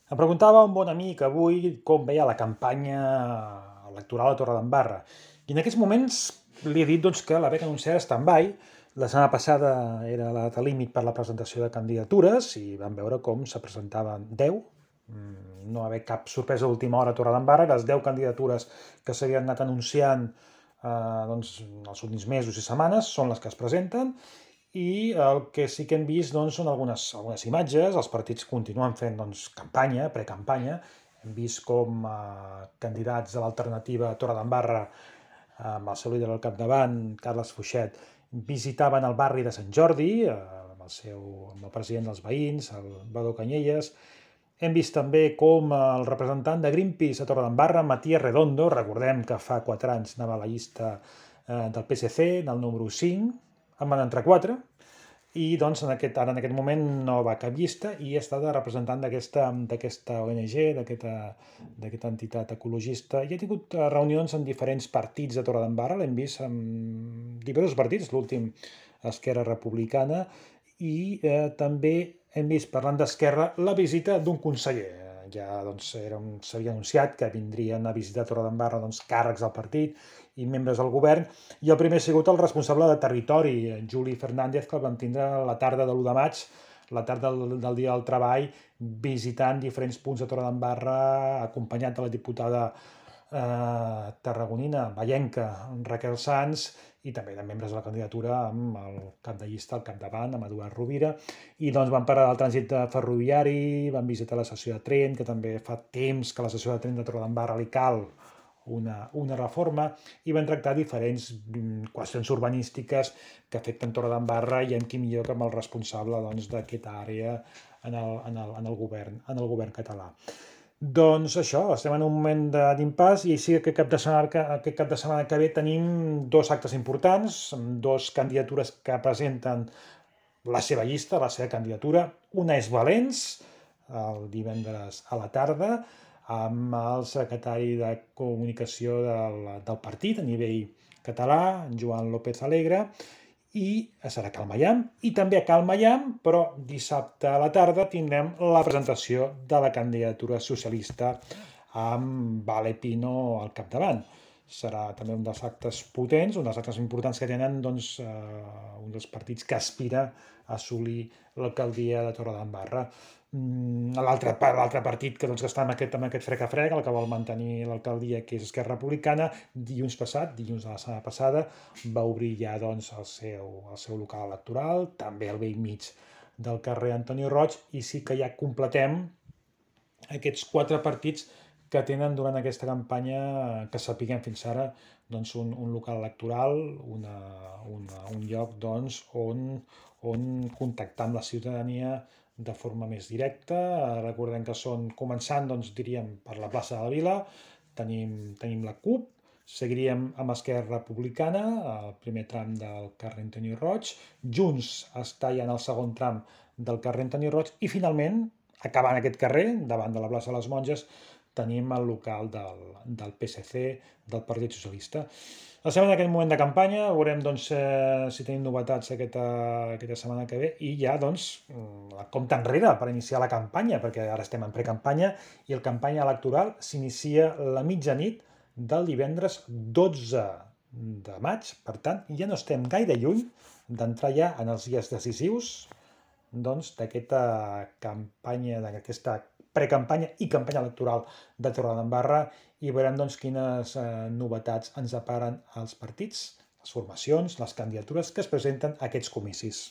Em preguntava un bon amic avui com veia la campanya electoral a Torredembarra. I en aquests moments li he dit doncs, que la veig anunciada stand-by. La setmana passada era la data límit per la presentació de candidatures i vam veure com se presentaven 10. No va haver cap sorpresa d'última hora a Torredembarra. Les 10 candidatures que s'havien anat anunciant doncs, els últims mesos i setmanes són les que es presenten i el que sí que hem vist doncs, són algunes imatges. Els partits continuen fent doncs, campanya, precampanya. Hem vist com candidats de l'alternativa a Torredembarra, amb el seu líder al capdavant, Carles Fuixet, visitaven el barri de Sant Jordi amb el president dels veïns, el Badó Canyelles. Hem vist també com el representant de Greenpeace a Torredembarra, Matías Redondo, recordem que fa 4 anys anava a la llista del PSC, en el número 5, en van entrar 4, i doncs ara en aquest moment no va a cap llista i està de representant d'aquesta ONG, d'aquesta entitat ecologista, i ha tingut reunions amb diferents partits de Torredembarra. L'hem vist amb diversos partits, l'últim Esquerra Republicana, i també hem vist, parlant d'Esquerra, la visita d'un conseller. Ja doncs, s'havia anunciat que vindrien a visitar Torredembarra doncs, càrrecs del partit i membres del govern, i el primer ha sigut el responsable de territori, Juli Fernández, que el vam tindre la tarda de l'1 de maig, la tarda del dia del treball, visitant diferents punts de Torredembarra, acompanyat de la diputada tarragonina, vallenca, Raquel Sans, i també de membres de la candidatura amb el cap de llista al capdavant, amb Eduard Rovira, i doncs van parar del trànsit ferroviari, van visitar l'estació de tren, que també fa temps que a l'estació de tren de Torredembarra li cal una reforma, i van tractar diferents qüestions urbanístiques que afecten Torredembarra, i qui millor que amb el responsable doncs, d'aquesta àrea en el govern català. Doncs això, estem en un moment d'impàs, i sí que aquest cap de setmana que ve tenim 2 actes importants, amb 2 candidatures que presenten la seva llista, la seva candidatura. Una és Valens, el divendres a la tarda, amb el secretari de comunicació del partit a nivell català, Joan López Alegre, i serà a Cal Maiam, i també a Cal Maiam, però dissabte a la tarda tindrem la presentació de la candidatura socialista amb Vale Pino al capdavant. Serà també un dels actes potents, un dels actes importants que tenen doncs, un dels partits que aspira a assolir l'alcaldia de Torredembarra. L'altre partit que està amb aquest frec-a-frec, el que vol mantenir l'alcaldia, que és Esquerra Republicana, dilluns de la setmana passada, va obrir ja doncs, el seu local electoral, també al vell mig del carrer Antoni Roig, i sí que ja completem aquests 4 partits que tenen durant aquesta campanya, que sapiguem fins ara, doncs un local electoral, un lloc doncs, on contactar amb la ciutadania de forma més directa. Recordem que començant, doncs, diríem, per la plaça de la Vila, tenim la CUP, seguiríem amb Esquerra Republicana, el primer tram del carrer Antoni Roig, Junts està ja en el segon tram del carrer Antoni Roig, i finalment, acabant aquest carrer, davant de la plaça de les Monges, tenim el local del PSC, del Partit Socialista. Estem en aquest moment de campanya, veurem doncs, si tenim novetats aquesta setmana que ve, i ja doncs, la compta enrere per iniciar la campanya, perquè ara estem en precampanya i la campanya electoral s'inicia la mitjanit del divendres 12 de maig. Per tant, ja no estem gaire lluny d'entrar ja en els dies decisius doncs, d'aquesta campanya, d'aquesta precampanya i campanya electoral de Torredembarra, i veurem doncs, quines novetats ens deparen els partits, les formacions, les candidatures que es presenten a aquests comicis.